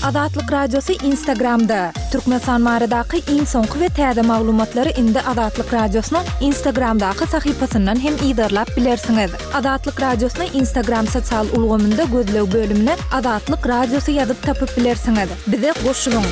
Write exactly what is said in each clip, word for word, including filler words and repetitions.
Azatlyk Radiosy Instagramda. Türkmenistan baradaky iň soňky we täze maglumatlary indi Azatlyk Radiosynyň Instagramdaky sahypasyndan hem yzarlap bilersiňiz. Azatlyk Radiosyny Instagram sosial ulgamynda gözleg bölümine Azatlyk Radiosy ýazyp tapyp bilersiňiz. Bize goşulyň.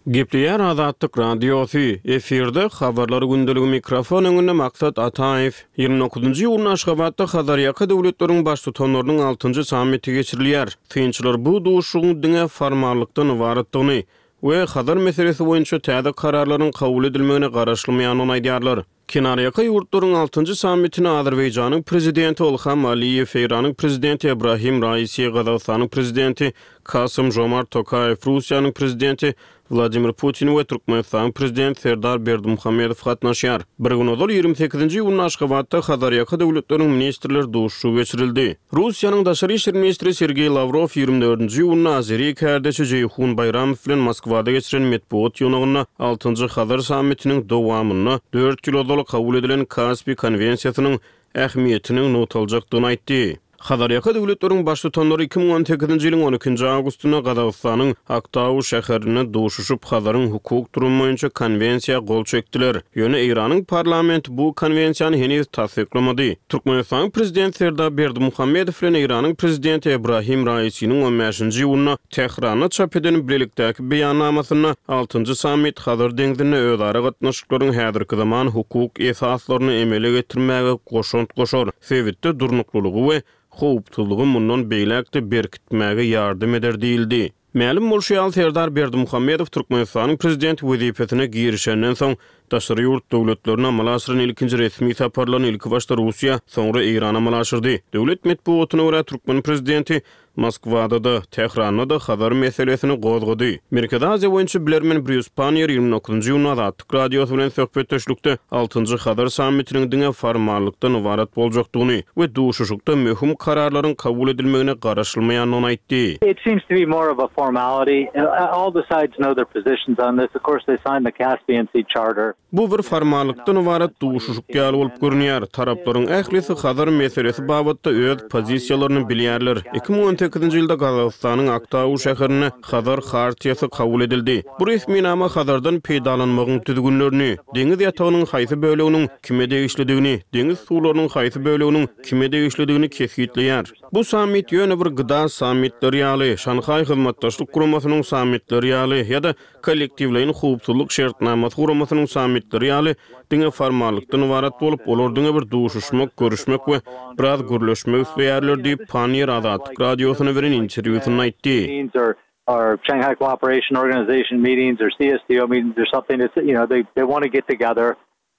Gepleýär Azatlyk Radiosy. Efirde habarlar gündeligi, mikrofon öňünde Maksat Ataýew. Ýigrimi dokuzynjy iýunda Aşgabatda Hazarýaka döwletleriň baştutanlarynyň altynjy sammiti geçirilýär. Synçylar bu duşuşygyň diňe formallykdan ybaratdygyny we Hazar meselesi boýunça täze kararlaryň kabul edilmegine garaşylmaýandygyny aýdýarlar. Kenarýaka ýurtlaryň altynjy sammitine Azerbaýjanyň prezidenti Ilham Aliýew, Eýranyň prezidenti Ebrahim Raisi, Gazagystanyň prezidenti Kasym Žomart Tokaýew, Russiýanyň prezidenti Wladimir Putin we Türkmenistanyň prezidenti Serdar Berdimuhamedow gatnaşýar. Bir gün ozal ýigrimi sekizinji iýunda Aşgabatda Hazarýaka döwletleriň ministrler duşuşygy geçirildi. Russiýanyň daşary işler ministri Sergeý Lawrow ýigrimi dördünji iýunda azeri kärdeşi Jeýhun Baýramow bilen Moskwada geçiren metbugat ýygnagynda altynjy Hazar sammitiniň dowamynda dört ýyl ozal kabul edilen Kaspi konwensiýasynyň ähmiýetiniň nygtaljakdygyny aýtdy. Hazarýaka döwletleriň baştutanlary iki müň on sekizinji ýylyň on ikinji awgustynda Gazagystanyň Aktau şäherinde duşuşyp, Hazaryň hukuk durumy boýunça konwensiýa gol çekdiler. Ýöne Eýranyň parlamenti bu konwensiýany heniz tassyklamady. Türkmenistanyň prezidenti Serdar Berdimuhamedow bilen Eýranyň prezidenti Ebrahim Raisiniň on bäşinji iýunda Tähranda çap eden bilelikdäki beýannamasynda altynjy sammit Hazar deňzinde özara gatnaşyklaryň häzirki zaman hukuk esaslaryny emele getirmäge goşant goşar, sebitde durnuklylygy we howpsuzlygy mundan beýläk-de berkitmäge ýardam eder diýildi. Mälim bolşy ýaly, Serdar Berdimuhamedow Türkmenistanyň prezidenti wezipesine girişenden soň daşary ýurt döwletlerine amala aşyran ilkinji resmi saparlaryny ilkibaşda Russiýa, soňra Eýrana amala aşyrdy. Döwlet metbugatyna görä, türkmen prezidenti Moskwada-da, Tähranda-da Hazar meselesini gozgady. Merkezi Aziýa boýunça bilermen Brýus Panniýer ýigrimi dokuzynjy iýunda Azatlyk Radiosy bilen söhbetdeşlikde altynjy Hazar sammitiniň diňe formallykdan ybarat boljakdygyny we duşuşykda möhüm kararlaryň kabul edilmegine garaşylmaýandygyny aýtdy. It seems to be more of a formality. All the sides know their positions on this. Of course, they signed the Caspian Sea Charter. Bu bir formallykdan ybarat duşuşyk ýaly bolup görünýär. Taraplaryň ählisi Hazar meselesi babatda öz pozisiýalaryny bilýärler. Iki müň on sekizinji ýylda Gazagystanyň Aktau şäherinde Hazar Hartiýasy kabul edildi. Bu resminama Hazardan peýdalanmagyň düzgünlerini, deňiz ýatagynyň haýsy böleginiň kime degişlidigini, deňiz suwlarynyň haýsy böleginiň kime degişlidigini kesgitleýär. Bu sammit ýöne bir gda sammitleri ýaly, Şanhaý Hyzmatdaşlyk Guramasynyň sammitleri ýaly ýa-da kollektiwleýin howpsuzlyk şertnamasy guramasynyň sammitleri ýaly diňe formallykdan ybarat bolup, olar diňe bir duşuşmak, görüşmek we biraz gürleşmek isleýärler diýip, Panniýer Azatlyk Radiosyna beren interwýusynda aýtdy. Or Shanghai Cooperation Organization meetings or C S T O meetings or something. It's, you know, they, they wanna get together,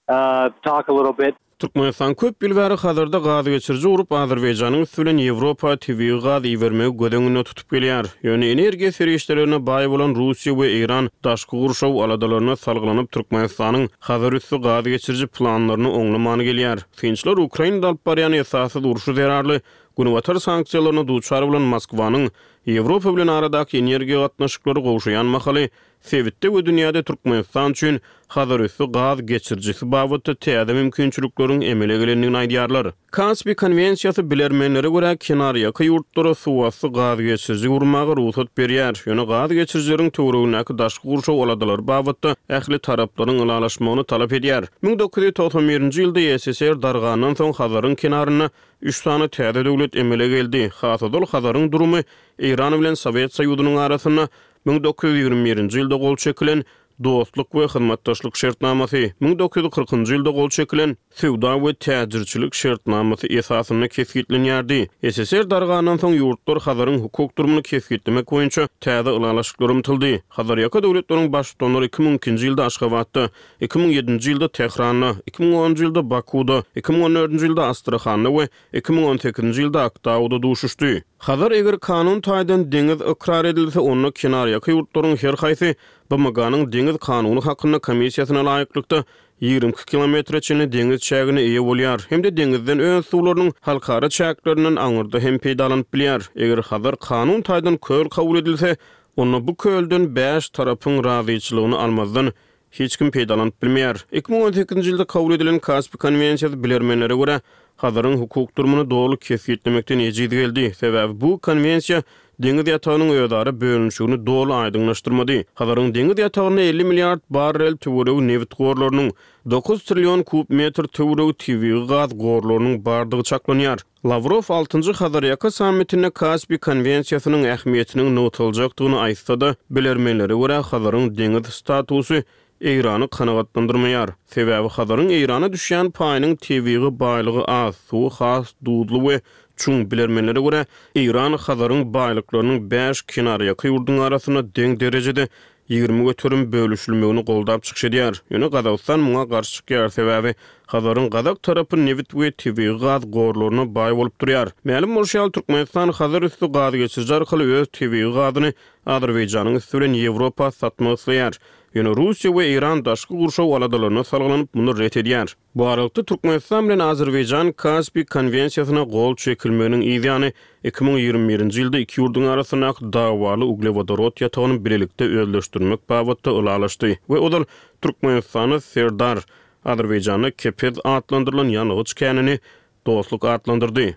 uh, talk a little bit. Türkmenistan köp ýyl bäri Hazarda gaz geçiriji gurup, Azerbaýjanyň üsti bilen Ýewropa tebigy gaz ibermegi göz öňünde tutup gelýär. Ýöne energiýa serişdelerine baý bolan Russiýa we Eýran daşky gurşaw aladalaryna salgylanyp, Türkmenistanyň Hazar üsti gaz geçiriji planlaryny oňlaman gelýär. Synçylar Ukrainada alyp barýan esassyz urşy zerarly Günbatar sanksiýalaryna duçar bolan Moskwanyň Ýewropa bilen aradaky energiýa gatnaşyklary gowşaýan mahaly sebitde we dünýäde Türkmenistan üçin Hazarüsti gaz geçirijisi babatda täze mümkinçilikleriň emele gelendigini aýdýarlar. Kaspi konwensiýasy bilermenlere görä kenarýaka ýurtlara suwasty gaz geçiriji gurmaga rugsat berýär, ýöne gaz geçirijileriň töweregindäki daşky gurşaw aladalary babatda ähli taraplaryň ylalaşmagyny talap edýär. Müň dokuz ýüz togsan birinji ýylda E S S R dargandan soň Hazaryň kenarynda üç sany täze döwlet emele geldi. Has ozal Hazaryň durumy Eýran bilen Sowet Soýuzynyň arasynda müň dokuz ýüz ýigrimi birinji ýylda gol çekilen Dostluk we hyzmatdaşlyk şertnamasy, müň dokuz ýüz kyrkynjy ýylda gol çekilen Söwda we täjirçilik şertnamasy esasynda kesgitlenýärdi. S S R dargandan soň ýurtlar Hazaryň hukuk durumyny kesgitlemek boýunça täze ylalaşyklar ymtyldy. Hazarýaka döwletleriň baştutanlary iki müň ikinji ýylda Aşgabatda, iki müň ýedinji ýylda Tähranda, iki müň onunjy ýylda Bakuda, iki müň on dördünji ýylda Astrahanda we iki müň on sekizinji ýylda Aktauda duşuşdy. Hazar eger kanun taýdan deňiz ykrar edilse, onda kenarýaka ýurtlaryň her haýsy B M G-nyň deňiz kanuny hakynda komissiýasyna laýyklykda ýigrimi iki kilometre çenli deňiz çägine eýe bolýar hem-de deňizden öz suwlarynyň halkara çäklerinden aňyrda hem peýdalanyp bilýär. Eger Hazar kanun taýdan köl kabul edilse, onda bu kölden bäş tarapyň razyçylygyny almazdan hiç kim peýdalanyp bilmeýär. Iki müň on sekizinji ýylda kabul edilen Kaspi konwensiýasy bilermenlere görä Hazaryň hukuk durumyny doly kesgitlemekden ejiz geldi. Sebäbi bu konwensiýa deňiz ýatagynyň özara bölünişigini doly aýdyňlaşdyrmady. Hazaryň deňiz ýatagynda elli milliard barrel töweregi nebit gorlarynyň, dokuz trillion kub metr töweregi tebigy gaz gorlarynyň bardygy çaklanýar. Lawrow altynjy Hazarýaka sammitinde Kaspi konwensiýasynyň ähmiýetiniň nygtaljakdygyny aýtsa-da, bilermenlere görä Hazaryň deňiz statusy Eýrany kanagatlandyrmaýar. Sebäbi Hazaryň Eýrana düşýän paýynyň tebigy baýlygy az, suwy has duzly we çuň. Bilermenlere görä Eýran Hazaryň baýlyklarynyň bäş kenarýaka ýurduň arasynda deň derejede ýigrimi göterim bölüşilmegini goldap çykyş edýär. Ýöne Gazagystan muňa garşy çykýar, sebäbi Hazaryň gazak tarapy nebit we tebigy gaz gorlaryna baý bolup durýar. Mälim bolşy ýaly, Türkmenistan Hazar üsti gaz geçiriji arkaly öz tebigy gazyny Azerbaýjanyň üsti bilen Ýewropa satmak isleýär. Ýöne Russiýa we Eýran daşky gurşaw aladalaryna salgylanyp muny ret edýär. Bu aralykda Türkmenistan bilen Azerbaýjan Kaspi konwensiýasyna gol çekilmeginiň yzýany iki müň ýigrimi birinji ýylda iki ýurduň arasyndaky dawaly uglewodorod ýatagyny bilelikde özleşdirmek babatda ylalaşdy we ozal Türkmenistanda Serdar, Azerbaýjanda Kepez atlandyrylan ýangyç känini dostluk atlandyrdy.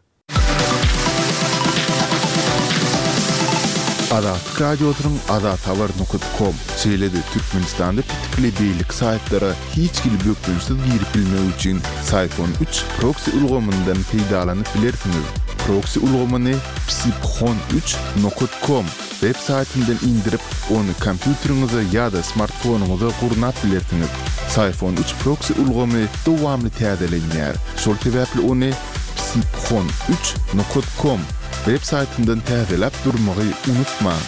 Azatlyk Radiosynyň azathabar nokta com, şeýle-de Türkmenistanda petikli beýleki saýtlara hiç hili bökdençsiz girip bilmek üçin Syphon üç proksi ulgamyndan peýdalanyp bilersiňiz. Proksi ulgamyny psiphon üç nokta com web saýtyndan indirip, ony kompýuteriňize ýa-da smartfonyňyza gurnap bilersiňiz. Syphon üç proksi ulgamy dowamly täzelenýär. Şol sebäpli ony psiphon üç nokta com web saýtyndan täzeläp durmagy unutmaň.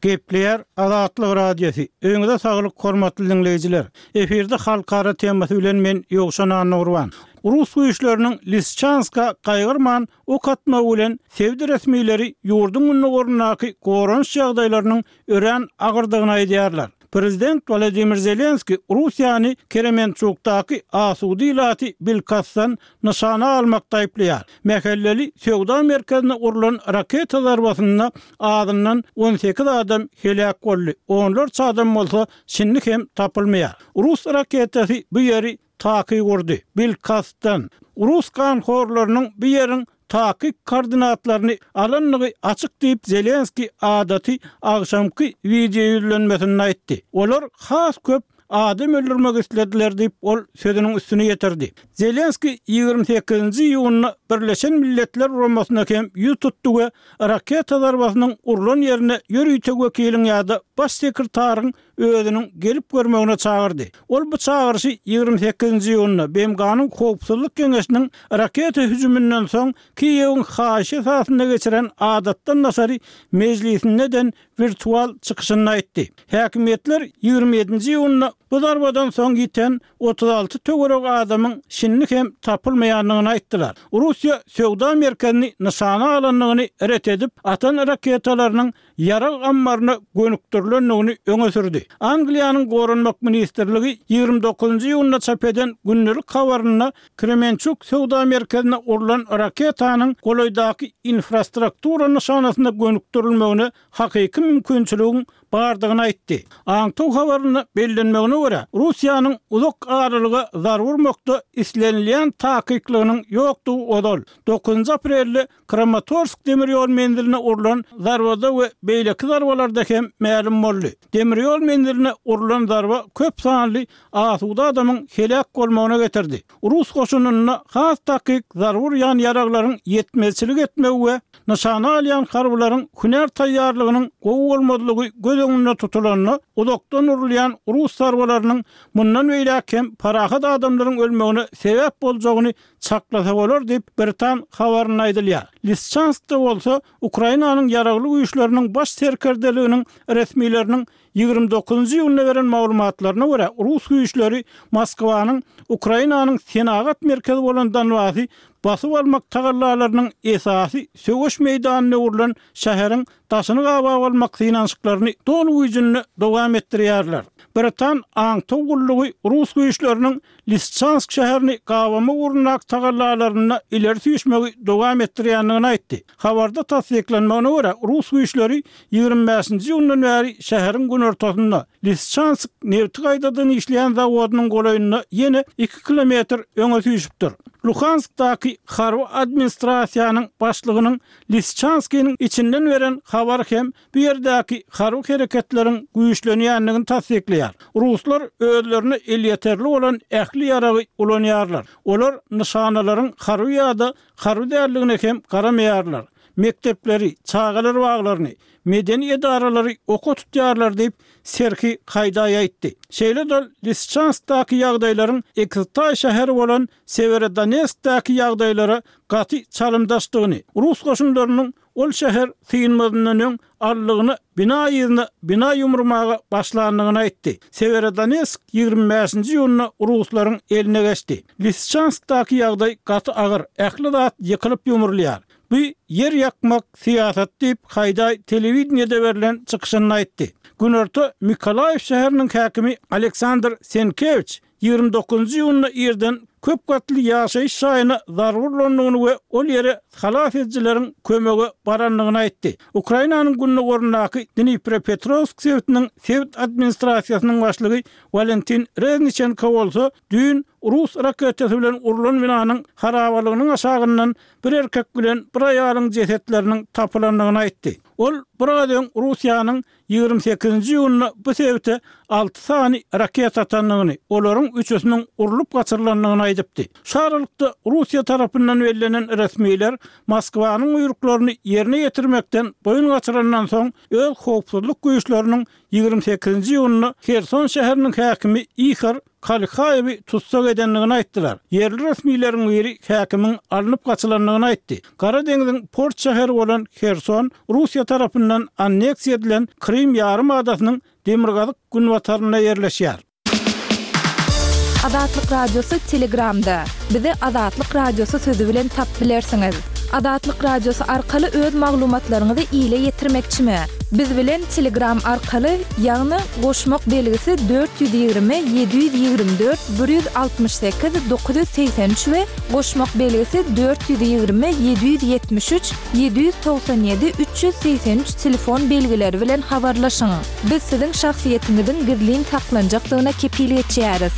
Gepleýär Azatlyk Radiosy. Öňüňize saglyk hormatly dinleýjiler. Efirde halkara temasy bilen men Ýowşan Annagurban. Rus güýçleriniň Lisçanska gaýgyrman ok atmagy bilen sebit resmileri ýurduň gündogaryndaky goranyş ýagdaýlarynyň örän agyrdygyny aýdýarlar. Prezident Wladimir Zelenski Russiýany Kremençukdaky asuda ilaty bilkastdan nyşana almakda aýyplaýar. Mähelleli söwda merkezine urlan raketa zarbasynda azyndan on sekiz adam heläk boldy. Onlarça adam bolsa şindi hem tapylmaýar. Rus raketasy bu ýeri takyk urdy. Bilkastdan Rus ganhorlarynyň bu ýeriň takyk koordinatlaryny alanlygy açyk diýip Zelenski adaty agşamky video ýüzlenmesinde aýtdy. Olar has köp adam öldürmek islediler diýip ol sözüniň üstüne ýetirdi. Zelenski ýigrimi sekizinji iýunda Birleşen Milletler Guramasyna hem ýüz tutdy we raketa zarbasynyň urlan ýerine ýörite wekiliň ýa-da baş sekretaryň özüniň gelip görmegine çagyrdy. Ol bu çagyryşy ýigrimi sekizinji iýunda B M G-nyň Howpsuzlyk Geňeşiniň raketa hüjüminden soň Kiýewiň haýyşy esasynda geçiren adatdan daşary mejlisinden wirtual çykyşyny aýtdy. Häkimiýetler ýigrimi ýedinji iýunda bu zarbadan soň ýiten otuz alty töweregi adamyň şindi hem tapylmaýandygyny aýtdylar. Russiýa söwda merkezini nyşana alandygyny ret edip, atan raketalarynyň ýarag ammaryna gönükdirilendigini öňe sürdi. Angliýanyň Goranmak ministrligi ýigrimi dokuzynjy iýunda çap eden gündelik habarynda Kremençuk söwda merkezine urlan raketanyň golaýdaky infrastruktura nyşanasyna gönükdirilmegine hakyky mümkinçiligiň bardygyny aýtdy. Aňtaw habarynda bellenmegine görä, Russiýanyň uzak aralyga zarba urmakda islenilýän takyklygynyň ýokdugy ozal dokuzynjy aprelde Kramatorsk demir ýol menziline urlan zarbada we beýleki zarbalarda hem mälim boldy. Demir ýol menziline urlan zarba köp sanly asuda adamyň heläk bolmagyna getirdi. Rus goşunynda has takyk zarba urýan ýaraglaryň ýetmezçilik etmegi we nyşana alýan harbylaryň hünär taýýarlygynyň gowy bolmazlygy göz öňünde tutulanda uzakdan urulýan rus zarbalarynyň mundan beýläk hem parahat adamlaryň ölmegine sebäp boljagyny çaklasa bolar diýip Britan habarynda aýdylýar. Lisçanskda bolsa Ukrainanyň ýaragly güýçleriniň baş serkerdeliginiň resmileriniň ýigrimi dokuzynjy iýunda beren maglumatlaryna görä rus güýçleri Moskwanyň Ukrainanyň senagat merkezi bolan Donbasy basyp almak tagallalarynyň esasy söweş meýdanyna öwrülen şäheriň daşyny gabap almak synanyşyklaryny doly güýjünde dowam etdirýärler. Britan aňtaw gullugy rus güýçleriniň Lisçansk şäherini gabamak ugrundaky tagallalarynda ileri süýşmegi dowam etdirýändigini aýtdy. Habarda tassyklanmagyna görä, rus güýçleri ýigrimi bäşinji iýundan bäri şäheriň günortasynda Lisçansk nebti gaýtadan işleýän zawodynyň golaýynda ýene iki kilometr öňe süýşüpdir. Luhanskdaky harby administrasiýanyň başlygynyň Lisçanskiniň içinden beren habary hem bu ýerdäki harby hereketleriň güýçlenýändigini tassyklaýar. Ruslar özlerine elýeterli bolan ähli ýaragy ulanýarlar. Olar nyşanalaryň harby ýa-da harby däldigine hem garamaýarlar. Mekdepleri, çagalar baglaryny, medeni edaralary oka tutýarlar diýip, Serhiý Haýdaý aýtdy. Şeýle-de Lisçanskdaky ýagdaýlaryň Ekiztaý şäheri bolan Sewerodonetskdäki ýagdaýlara gaty çalymdaşdygyny, rus goşunlarynyň ol şäher synmazyndan öň allygyna bina yzyna bina ýumurmaga başlandygyny aýtdy. Sewerodonetsk ýigrimi bäşinji iýunda ruslaryň eline geçdi. Lisçanskdaky ýagdaý gaty agyr, ähli zat ýykylyp ýumrulýar. Bu ýer ýakmak syýasat diýip, Haýdaý telewideniýede berlen çykyşynda aýtdy. Günorta Mikolaýew şäheriniň häkimi Aleksandr Senkewiç ýigrimi dokuzynjy iýunda irden köp gatly ýaşaýyş jaýyna zarba urlandygyny we ol ýere halas edijileriň kömege barandygyny aýtdy. Ukrainanyň gündogaryndaky Dnipropetrowsk sebitiniň sebit administrasiýasynyň başlygy Walentin Rezniçenko bolsa düýn rus raketasy bilen urlan binanyň harabalygynyň aşagyndan bir erkek bilen bir aýalyň jesetleriniň tapylandygyny aýtdy. Ol biraz öň Russiýanyň ýigrimi sekizinji iýunda bu sebite alty sany raketa atandygyny, olaryň üçüsiniň urlup gaçyrylandygyny aýdypdy. Şu aralykda Russiýa tarapyndan bellenen resmiler Moskwanyň buýruklaryny ýerine ýetirmekden boýun gaçyrandan soň öz howpsuzlyk güýçleriniň ýigrimi sekizinji iýunda Herson şäheriniň häkimi Ihor Kalkaýewi tussag edendigini aýtdylar. Ýerli resmileriň biri häkimiň alnyp gaçylandygyny aýtdy. Gara deňziň port şäheri bolan Herson Russiýa tarapyndan anneksiýa edilen Krym ýarym adasynyň demirgazyk günbatarynda ýerleşýär. Azatlyk Radiosy Telegramda. Bizi Azatlyk Radiosy sözi bilen tap bilersiňiz. Azatlyk Radiosy arkaly öz maglumatlaryňyzy ile ýetirmekçimi? Biz bilen Telegram arkaly, ýagny goşmak belgisi dört ýüz ýigrimi ýedi ýüz ýigrimi dört bir ýüz altmyş sekiz dokuz ýüz segsen üç we goşmak belgisi dört ýüz ýigrimi ýedi ýüz ýetmiş üç ýedi ýüz togsan ýedi üç ýüz segsen üç telefon belgileri bilen habarlaşyň. Biz siziň şahsyýetiňiziň gizlin saklanjakdygyna kepil geçýäris.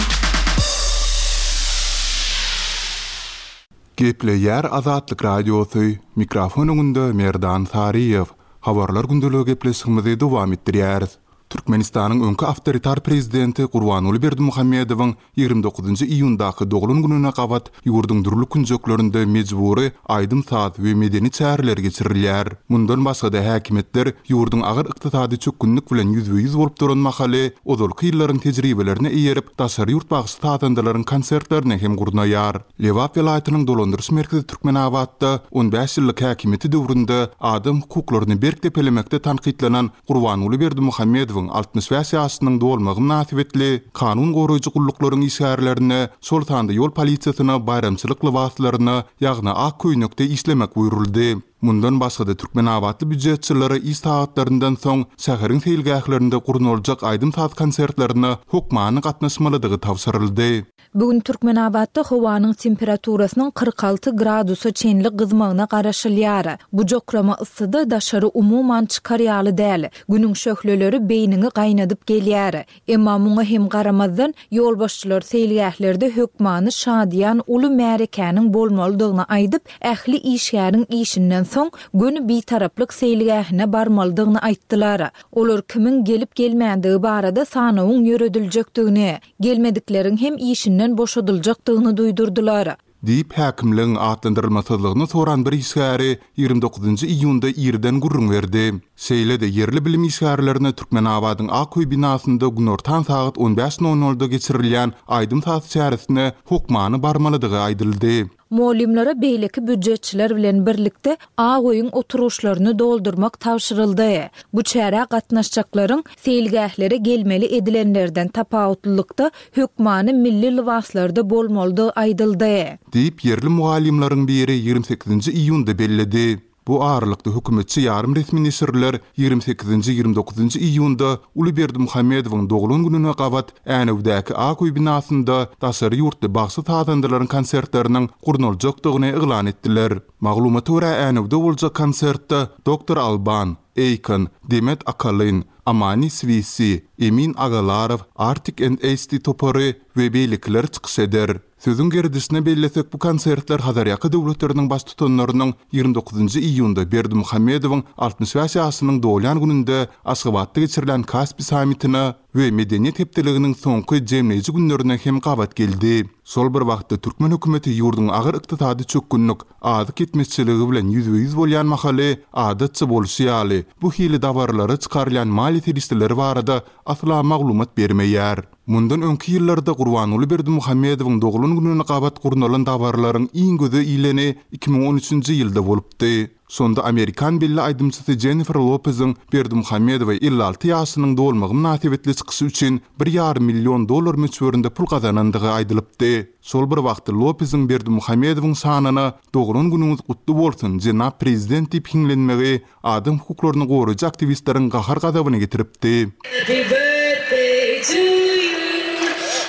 Gepleýär Azatlyk Radiosy, mikrofon öňünde Merdan Saryýew. Habarlar gündeligi gepleşigimizi dowam etdirýäris. Türkmenistanyň öňki awtoritar prezidenti Gurbanguly Berdimuhamedowyň ýigrimi dokuzynjy iýundaky doglan gününe gabat ýurduň dürli künjeklerinde mejbury aýdym-saz we medeni çäreler geçirilýär. Mundan başga-da häkimiýetler ýurduň agyr ykdysady çökgünlik bilen ýüzbe-ýüz bolup duran mahaly ozalky ýyllaryň tejribelerine eýerip daşary ýurt bagşy sazandalaryň konsertlerini hem gurnaýar. Lebap welaýatynyň dolandyryş merkezi Türkmenabatda on bäş ýyllyk häkimiýeti döwründe adam hukuklaryny berk depelemekde tankytlanan Gurbanguly Berdimuhamedowyň altmyş bäş ýaşynyň dolmagy mynasybetli kanun goraýjy gulluklaryň işgärlerine, şol sanda ýol polisiýasyna baýramçylyk lybaslaryna, ýagny ak köýnekde işlemek buýruldy. Mundan başga-da Türkmenabatly býujetçilere iş sagatlaryndan soň şäheriň seýilgählerinde gurnaljak aýdym-saz konsertlerine hökmany gatnaşmalydygy tabşyryldy. Bugün Türkmenabatda howanyň temperaturasynyň kyrk alty gradusa çenli gyzmagyna garaşylýar. Bu jokrama yssyda daşary umuman çykar ýaly däl. Günüň şöhleleri beýniňi gaýnadyp gelýär. Emma muňa hem garamazdan ýolbaşçylar seýilgählerde hökmany şadyýan uly märekäniň bolmalydygyny aýdyp, ähli işgäriň işinden soň göni bitaraplyk seýilgähine barmalydygyny aýtdylar. Olar kimiň gelip gelmändigi barada sanawyň ýörediljekdigini, gelmedikleriň hem işinden boşadyljakdygyny duýdurdylar. Diýip häkimligiň atlandyrylmasyzlygyny soran bir işgäri ýigrimi dokuzynjy iýunda irden gürrüň berdi. Şeýle-de ýerli bilim işgärlerine Türkmenabadyň Ak öý binasynda günortan sagat on bäş nol nolda geçirilýän aýdym-saz çäresine hökmany barmalydygy aýdyldy. Mugallymlara beýleki býujetçiler bilen birlikde Ak öýüň oturgyçlaryny doldurmak tabşyryldy. Bu çärä gatnaşjaklaryň seýilgählere gelmeli edilenlerden tapawutlylykda hökmany milli lybaslarda bolmalydygy aýdyldy. Diýip ýerli mugallymlaryň biri ýigrimi sekizinji iýunda belledi. Bu aralykda hökümetçi ýarym resmi neşirler ýigrimi sekizinji, ýigrimi dokuzynjy iýunda uly Berdimuhamedowyň doglan gününe gabat Änewdäki Ak öý binasynda daşary ýurtly bagşy-sazandalaryň konsertleriniň gurnaljakdygyny yglan etdiler. Maglumata görä, Änewde boljak konsertde Doktor Alban, Akon, Demet Akalyn, Amani Swissi, Emin Agalarow, Artik and Asti topary we beýlekiler çykyş eder. Sözüň gerdişine bellesek, bu konsertler Hazarýaka döwletleriniň baştutanlarynyň ýigrimi dokuzynjy iýunda Berdimuhamedowyň altmyş bäş ýaşynyň dolýan gününde Aşgabatda geçirilen Kaspi sammitine we Medeniýet hepdeliginiň soňky jemleýji günlerine hem gabat geldi. Şol bir wagtda türkmen hökümeti ýurduň agyr ykdysady çökgünlik, azyk ýetmezçiligi bilen ýüzbe-ýüz bolýan mahaly, adatça bolşy ýaly, bu hili dabaralara çykarylýan maliýe serişdeleri barada asla maglumat bermeýär. Mundan öňki ýyllarda Gurbanguly Berdimuhamedowyň doglan gününe gabat gurnalan dabaralaryň iň göze ileni iki müň on üçünji ýylda bolupdy. Şonda amerikan belli aýdymçysy Jennifer Lopeziň Berdimuhamedowa elli alty ýaşynyň dolmagy mynasybetli çykyşy üçin bir ýarym million dollar möçberinde pul gazanandygy aýdylypdy. Şol bir wagtda Lopeziň Berdimuhamedowyň şanyna doglan günüňiz gutly bolsun, jenap prezident diýip hiňlenmegi adam hukuklaryny goraýjy aktiwistleriň gahar-gazabyny getiripdi. Happy birthday to you.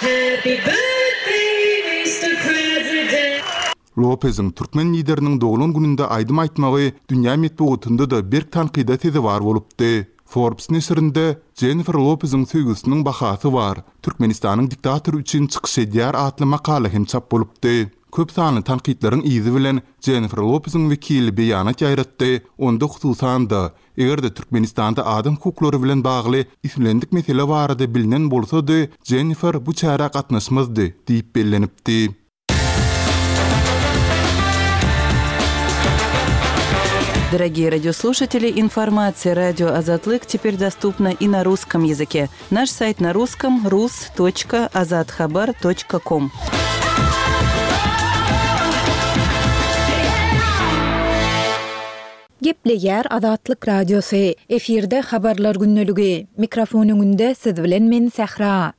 Happy birthday, Mister President. Lopeziň türkmen lideriniň doglan gününde aýdym aýtmagy dünýä metbugatynda-da berk tankyda sezewar bolupdy. Forbes neşirinde Jennifer Lopeziň söýgüsiniň bahasy bar, Türkmenistanyň diktatory üçin çykyş edýär atly makala hem çap bolupdy. Köp sanly tankytlaryň yzy bilen Jennifer Lopeziň wekili beýanat ýaýratdy, onda hususan-da, eger-de Türkmenistanda adam hukuklary bilen bagly islendik mesele barada bilinen bolsady, Jennifer bu çärä gatnaşmazdy diýip bellenipdi. Дорогие радиослушатели, информация радио Азатлык теперь доступна и на русском языке. Наш сайт на русском рус точка азатхабар точка ком. Gepleýär Azatlyk Radiosy. Efirde habarlar günlügi. Mikrofon öňünde siz bilen men Sähra.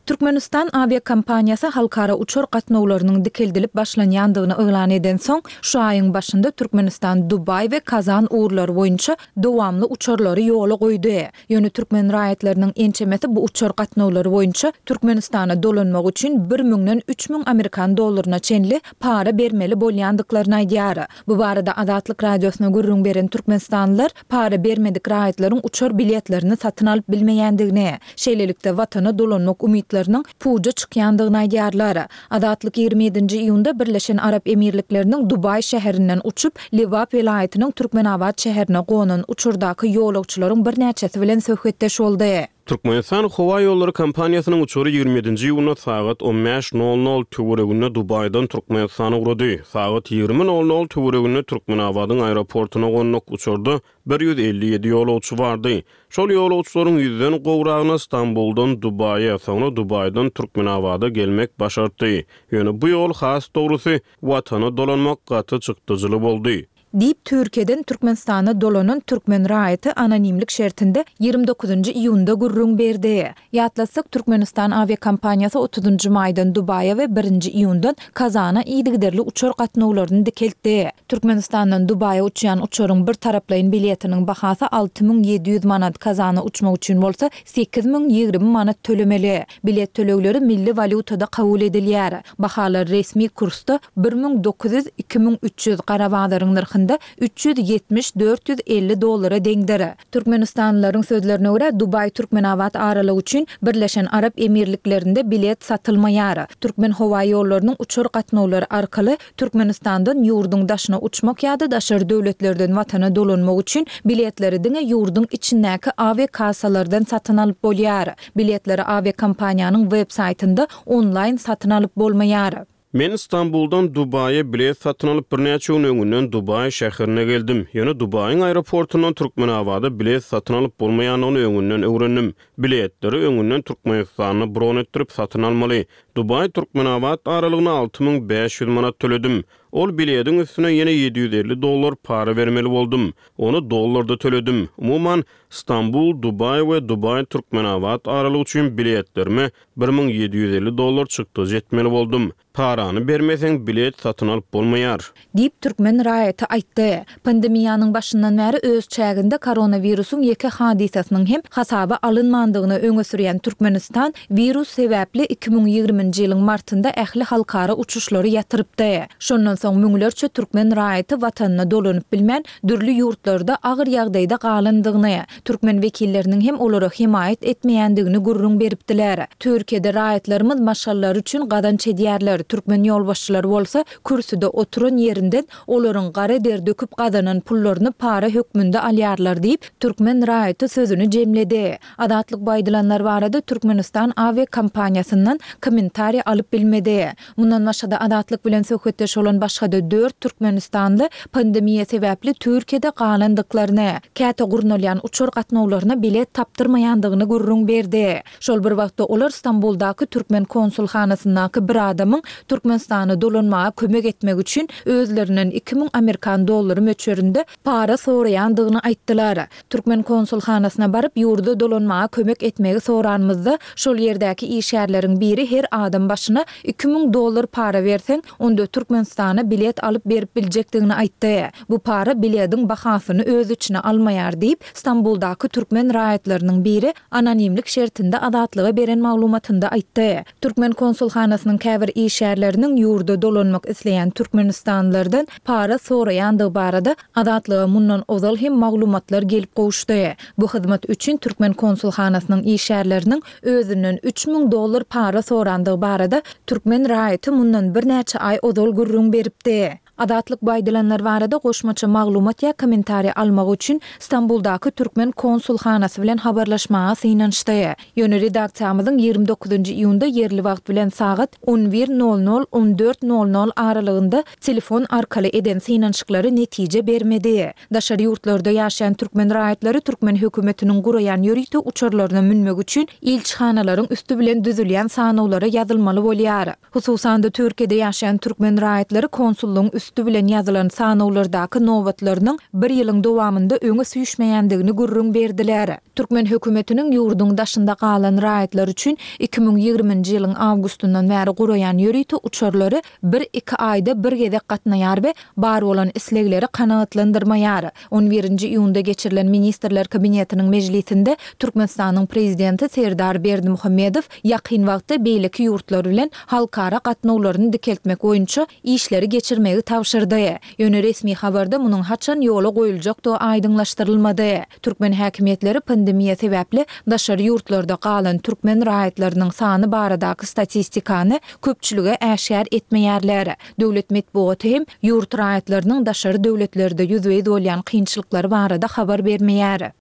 Türkmenistan awiakompaniýasy halkara uçar gatnawlarynyň dikeldilip başlanýandygyny yglan eden soň, şu aýyň başynda Türkmenistan Dubaý we Kazan ugurlary boýunça dowamly uçarlary ýola goýdy. Ýöne türkmen raýatlarynyň ençemesi bu uçar gatnawlary boýunça Türkmenistana dolanmak üçin bir müňden üç müň amerikan dollaryna çenli para bermeli bolýandyklaryny aýdýar. Bu barada Azatlyk Radiosyna gürrüň beren türkmenistanlylar para bermedik raýatlaryň uçar biletlerini satyn alyp bilmeýändigini, şeýlelikde watana dolanmak umytlarynyň puja çykýandygyny aýdýarlar. Azatlyk ýigrimi ýedinji iýunda Birleşen Arap Emirlikleriniň Dubaý şäherinden uçup, Lebap welaýatynyň Türkmenabat şäherine gonan uçurdaky ýolagçylaryň birnäçesi bilen söhbetdeş boldy. Türkmenistan Howa Ýollary kompaniýasynyň uçary ýigrimi ýedinji iýunda sagat on bäş nol nol töwereginde Dubaýdan Türkmenistana ugrady. Sagat ýigrimi nol nol töwereginde Türkmenabadyň aeroportuna gonduk uçarda bir ýüz elli ýedi ýolagçy bardy. Şol ýolagçylaryň ýüzden gowragyna Stambuldan Dubaýa, soňra Dubaýdan Türkmenabada gelmek başartdy. Ýöne bu ýol has dogrusy watana dolanmak gaty çykdyjyly boldy. Diýip Türkiýeden Türkmenistana dolanan türkmen raýaty anonimlik şertinde ýigrimi dokuzynjy iýunda gürrüň berdi. Ýatlatsak, Türkmenistan awiakompaniýasy otuzynjy maýdan Dubaýa we birinji iýundan Kazana yzygiderli uçar gatnawlaryny dikeltdi. Türkmenistandan Dubaýa uçýan uçaryň bir taraplaýyn biletiniň bahasy alty müň ýedi ýüz manat, Kazana uçmak üçin bolsa sekiz müň ýigrimi manat tölemeli. Bilet tölegleri milli walýutada kabul edilýär. Bahalar resmi kursda bir müň dokuz ýüz, iki müň üç ýüz, gara bazaryň nyrhynda üç ýüz ýetmiş, dört ýüz elli dollara deňdir. Türkmenistanlylaryň sözlerine görä Dubaý Türkmenabat aralygy üçin Birleşen Arap Emirliklerinde bilet satylmaýar. Türkmen howa ýollarynyň uçar gatnawlary arkaly Türkmenistandan ýurduň daşyna uçmak ýa-da daşary döwletlerden watana dolanmak üçin biletleri diňe ýurduň içindäki awiakassalardan satyn alyp bolýar. Biletleri awiakompaniýanyň web saýtynda onlaýn satyn alyp bolmaýar. Men Stambuldan Dubaýa bilet satyn alyp birnäçe gün öňünden Dubaý şäherine geldim. Ýöne Dubaýyň aeroportundan Türkmenabada bilet satyn alyp bolmaýandygyny öňünden öwrendim. Biletleri öňünden Türkmenistanda bron etdirip satyn almaly. Dubaý Türkmenabat aralygyna alty müň bäş ýüz manat töledim. Ol bilediň üstüne ýene ýedi ýüz elli dollar para bermeli boldum. Ony dollarda töledim. Umuman Stambul, Dubaý we Dubaý Türkmenabat aralygy üçin biletlerime bir müň ýedi ýüz elli dollar çykdajy etmeli boldum. Parany bermeseň bilet satyn alyp bolmaýar. Diýip türkmen raýaty aýtdy. Pandemiýanyň başyndan bäri öz çäginde koronawirusyň ýeke hadysasynyň hem hasaba alynmandygyny öňe sürýän Türkmenistan wirus sebäpli iki müň ýigriminji ýylyň martynda ähli halkara uçuşlary ýatyrypdy. Şondan soň müňlerçe türkmen raýaty watanyna dolanyp bilmän, dürli ýurtlarda agyr ýagdaýda galandygyny, türkmen wekilleriniň hem olara hemaýat etmeýändigini gürrüň beripdiler. Türkiýede raýatlarymyz maşgalalary üçin gazanç edýärler, türkmen ýolbaşçylary bolsa kürsüde oturan ýerinden olaryň gara der döküp gazanan pullaryny para hökmünde alýarlar diýip, türkmen raýaty sözüni jemledi. Azatlyk bu aýdylanlar barada Türkmenistan awiakompaniýasyndan kommentariý alyp bilmedi. Mundan başga-da Azatlyk bilen söhbetdeş bolan başga-da dört türkmenistanly pandemiýa sebäpli Türkiýede galandyklaryny, käte gurnalýan uçar gatnawlaryna bilet tapdyrmaýandygyny gürrüň berdi. Şol bir wagtda olar Stambuldaky türkmen konsulhanasyndaky bir adamyň Türkmenistana dolanmaga kömek etmek üçin özlerinden iki müň amerikan dollary möçberinde para soraýandygyny aýtdylar. Türkmen konsulhanasyna baryp ýurda dolanmaga kömek etmegi soranymyzda, şol ýerdäki işgärleriň biri her adam başyna iki müň dollar para berseň, onda Türkmenistana bilet alyp berip biljekdigini aýtdy. Bu para bilediň bahasyny öz içine almaýar diýip, Stambuldaky türkmen raýatlarynyň biri anonimlik şertinde Azatlyga beren maglumatynda aýtdy. Türkmen konsulhanasynyň käbir işgärleriniň ýurda dolanmak isleýän türkmenistanlylardan para soraýandygy barada Azatlyga mundan ozal hem maglumatlar gelip gowuşdy. Bu hyzmat üçin türkmen konsulhanasynyň işgärleriniň özünden üç müň dollar para sorandygy barada türkmen raýaty mundan birnäçe aý ozal gürrüň beripdi. Azatlyk bu aýdylanlar barada goşmaça maglumat ýa kommentariý almak üçin Stambuldaky türkmen konsulhanasy bilen habarlaşmaga synanyşdy. Ýöne redaksiýamyzyň ýigrimi dokuzynjy iýunda ýerli wagt bilen sagat on bir nol nol on dört nol nol aralygynda telefon arkaly eden synanyşyklary netije bermedi. Daşary ýurtlarda ýaşaýan türkmen raýatlary türkmen hökümetiniň guraýan ýörite uçarlaryna münmek üçin ilçihanalaryň üsti bilen düzülýän sanawlara ýazylmaly bolýar. Hususan-da Türkiýede ýaşaýan türkmen raýatlary konsullygyň üsti bilen ýazylan sanawlardaky nobatlarynyň bir ýylyň dowamynda öňe süýşmeýändigini gürrüň berdiler. Türkmen hökümetiniň ýurduň daşynda galan raýatlar üçin iki müň ýigriminji ýylyň awgustyndan bäri guraýan ýörite uçarlary bir-iki aýda bir gezek gatnaýar we bar bolan islegleri kanagatlandyrmaýar. On birinji iýunda geçirilen Ministrler Kabinetiniň mejlisinde Türkmenistanyň prezidenti Serdar Berdimuhamedow ýakyn wagtda beýleki ýurtlar bilen halkara gatnawlaryny dikeltmek boýunça işleri geçirmegi tabşyrdy. Ýöne resmi habarda munuň haçan ýola goýuljakdygy aýdyňlaşdyrylmady. Türkmen häkimiýetleri pandemiýa sebäpli daşary ýurtlarda galan türkmen raýatlarynyň sany baradaky statistikany köpçülige äşgär etmeýärler. Döwlet metbugaty hem ýurt raýatlarynyň daşary döwletlerde ýüzbe-ýüz bolýan kynçylyklary barada habar bermeýär.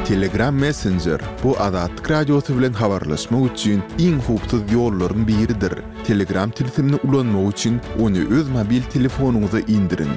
Telegram Messenger bu Azatlyk Radiosy bilen habarlaşmak üçin iň howpsuz ýollaryň biridir. Telegram tilsimini ulanmak üçin ony öz mobil telefonyňyza indiriň.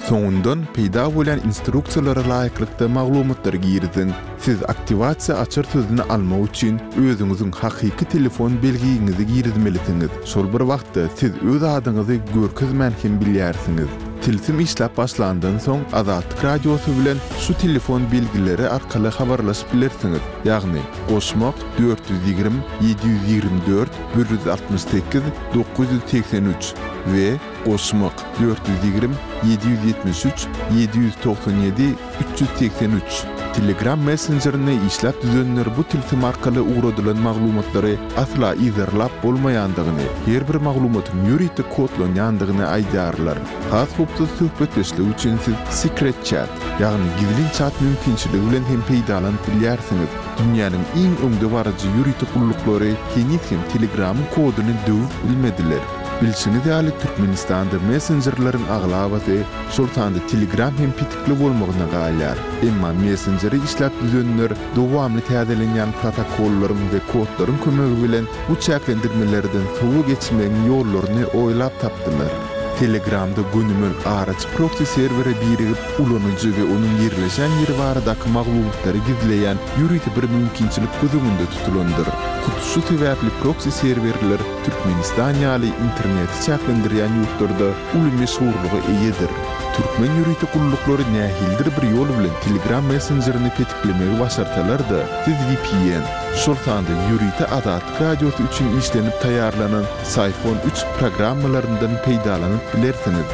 Soňundan peýda bolýan instruksiýalara laýyklykda maglumatlary giriziň. Siz aktiwasiýa açar sözüni almak üçin özüňiziň hakyky telefon belgiňizi girizmelisiňiz. Şol bir wagtda siz öz adyňyzy görkezmän hem bilýärsiňiz. Tilsim işläp başlandan soň Azatlyk Radiosy bilen şu telefon belgileri arkaly habarlaşyp bilersiňiz. Ýagny goşmak dört ýüz ýigrimi, ýedi ýüz ýigrimi dört, bir ýüz altmyş sekiz, dokuz ýüz segsen üç we goşmak dört ýüz ýigrimi, ýedi ýüz ýetmiş üç, ýedi ýüz togsan ýedi, üç ýüz segsen üç. Telegram messenjerini işläp düzenler bu tilsim arkaly ugradylan maglumatlary asla yzarlap bolmaýandygyny, her bir maglumatyň ýörite kodlanýandygyny aýdýarlar. Has howpsuz söhbetdeşlik üçin siz Secret Chat, ýagny gizlin chat mümkinçiligi bilen hem peýdalanyp bilýärsiňiz. Dünýäniň iň öňdebaryjy ýörite gulluklary heniz hem Telegramyň koduny döwüp bilmediler. Bilşiňiz ýaly Türkmenistanda messenjerleriň aglabasy, şol sanda Telegram hem petikli bolmagyna galýar. Emma messenjeri işläp düzenler dowamly täzelenýän protokollaryň we kodlaryň kömegi bilen bu çäklendirmelerden sowa geçmegiň ýollaryny oýlap tapdylar. Telegramda gönümel araç proxy serwere birigip, ulanyjy we onuň ýerleşen ýeri baradaky maglumatlary gizleýän ýörite bir mümkinçilik göz öňünde tutulandyr. Hut şu sebäpli proksi serwerler Türkmenistan ýaly interneti çäklendirýän ýurtlarda uly meşhurlyga eýedir. Türkmen ýörite gulluklary nähilidir bir ýol bilen Telegram messenjerini petiklemegi başarsalar-da, siz V P N, şol sanda ýörite Azatlyk Radiosy üçin işlenip taýýarlanan Psiphon üç programmalaryndan peýdalanyp bilersiňiz.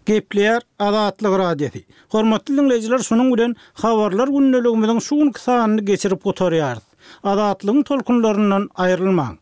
Gepleýär Azatlyk Radiosy. Hormatly dinleýjiler, şunuň bilen habarlar gündeligimiziň şu günki sanyny geçirip gutarýarys. Azatlygyň tolkunlaryndan aýrylmaň.